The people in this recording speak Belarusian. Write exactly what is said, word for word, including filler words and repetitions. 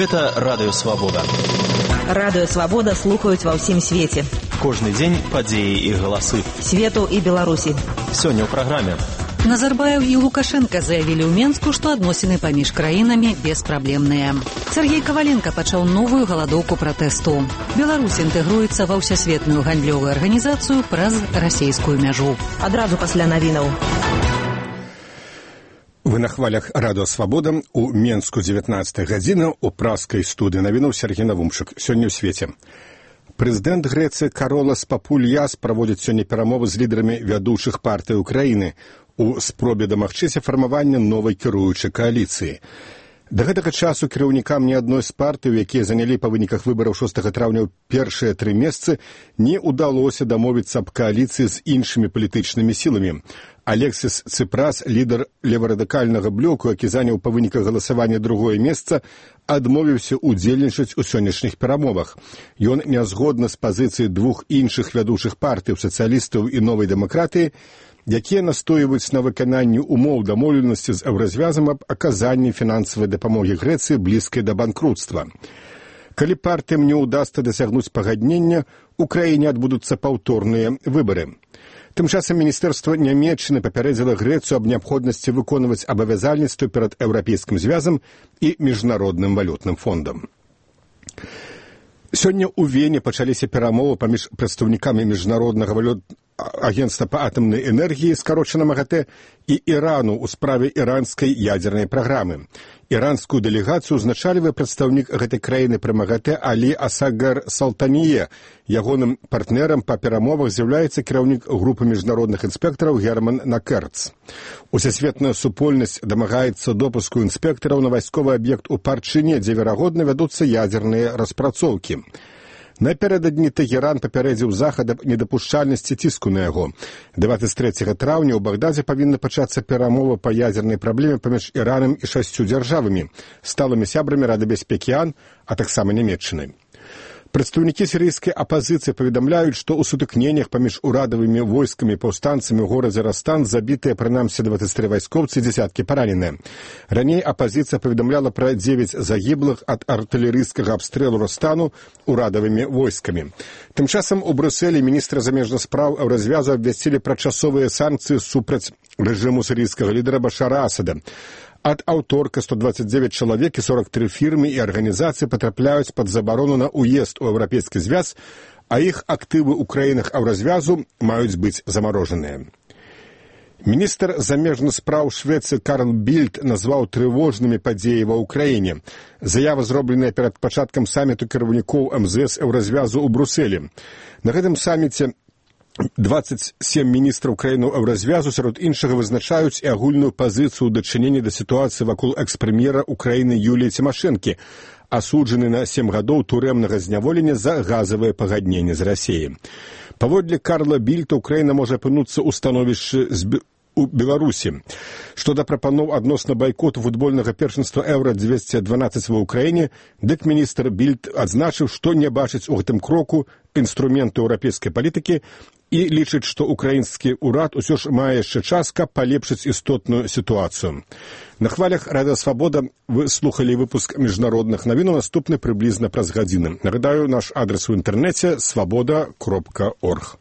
Гэта Радыё Свабода. Радыё Свабода слухаюць ва ўсім свеце. Кожны дзень падзеі і галасы. Свету і Беларусі. Сёння ў праграме. Назарбаев і Лукашенко заявілі ў Менску, што адносіны паміж краінамі беспраблемныя. Сергей Каваленко пачаў новую галадоўку пратэсту. Беларусь інтэгруецца ва ўсесветную гандлёвую арганізацыю праз расейскую мяжу. Адразу пасля навінаў. Вы на хвалях Радыё Свабода. У Менску дзевятнадцатая гадзіна, у праскай студыі навінаў Сергей Навумчык. Сёння ў свеце. Прэзідэнт Грэцыі Каролас Папульяс праводзіць сёння перамовы з лідарамі вядучых партый Украіны у спробе дамагчыся фармавання новай кіруючай кааліцыі. Да гэтага часу кіраўнікам ні адной з партый, якія занялі па выніках выбараў шостага траўня ў першыя тры месцы, не ўдалося дамовіцца аб кааліцыі з іншымі палітычнымі сіламі. Алексіс Ципрас, лідар леварадыкальнага блоку, які заняў па выніках галасавання другое месца, адмовіўся удзельнічаць у сённяшніх перамовах. Ён не згодны з пазіцыяй двух іншых вядучых партый, сацыялістаў і новай дэмакратыі, якія настойваюць на выкананні умоў дамоўленасці з еўразвязам аб аказанні фінансавай дапамогі Грэцыі блізкай да банкрутства. Калі партыям не ўдасца дасягнуць пагаднення, у краіне адбудуцца паўторныя выбары. Тым часам Міністэрства Нямецчыны папярэдзіла Грэцыю аб неабходнасці выконваць абавязальніцтвы перад Еўрапейскім звязам і Міжнародным валютным фондам. Сёння ў Вене пачаліся перамовы паміж прадстаўнікамі Міжнароднага валютнага агенцтва па атамнай энергіі, скарочана МАГАТЭ, і Ірану ў справе іранскай ядзернай праграмы. Іранскую дэлегацыю узначальвае прадстаўнік гэтай краіны пры МАГАТЭ Алі Асагар Салтание. Ягоным партнерам па перамовах з'яўляецца кіраўнік групы міжнародных інспектараў Герман Накерц. Усесветная супольнасць дамагаецца допуску інспектараў на вайсковы аб'ект у Парчыне, дзе, верагодна, вядуцца ядзерныя распрацоўкі. Напярэдадні Тэгеран папярэдзіў захад аб недапушчальнасці ціску на яго. дваццаць трэцяга траўня ў Багдадзе павінна пачацца перамова па ядзернай праблеме паміж Іранам і шасцю дзяржавамі, сталымі сябрамі Рады бяспекі ООН, а таксама Нямецчынай. Прадстаўнікі сірыйскай апазіцыі паведамляюць, што ў сутыкненнях паміж урадавымі войскамі і паўстанцамі ў горадзе Растан забітыя прынамсі дваццаць тры вайскоўцы і дзесяткі параненыя. Раней апазіцыя паведамляла пра дзевяць загіблых ад артылерыйскага абстрэлу Растану урадавымі войскамі. Тым часам у Брюсселі міністры замежных спраў еўразвязу абвясцілі пра часовыя санкцыі супраць рэжыму сірыйскага лідара Башара Асада. Ад аўторка сто дваццаць дзевяць чалавек і сорок тры фірмы і арганізацыі патрапляюць пад забарону на ўезд у Еўрапейскі звяз, а іх актывы ў краінах еўразвязу маюць быць замарожаныя. Міністр замежных спраў Швецыі Карл Більд назваў трывожнымі падзеі ва ўкраіне. Заява зробленая перад пачаткам саміту кіраўнікоў эм зэ эс еўразвязу ў Брюсселі. На гэтым саміце дваццаць сем міністраў краінаў еўразвязу сярод іншага вызначаюць і агульную пазіцыю ў дачыненні да сітуацыі вакол экс-прэм'ера Украіны Юліі Цімашэнкі, асуджаны на сем гадоў турэмнага зняволення за газавае пагадненне з Расіяй. Паводле Карла Більта, Украіна можа апынуцца ў становішчы з у Беларусі. Што да прапаноў адносна байкоту футбольнага першынства Еўра дзвесце дванаццаць ва ўкраіне, дык міністр Більд адзначыў, што не бачыць у гэтым кроку інструменту еўрапейскай палітыкі і лічыць, што украінскі ўрад усё ж мае яшчэ час, каб палепшыць істотную сітуацыю. На хвалях Радыё Свабода вы слухалі выпуск міжнародных навінаў, наступны прыблізна праз гадзіны. Нагадаю, наш адрес у інтэрнэце свабода кропка орг.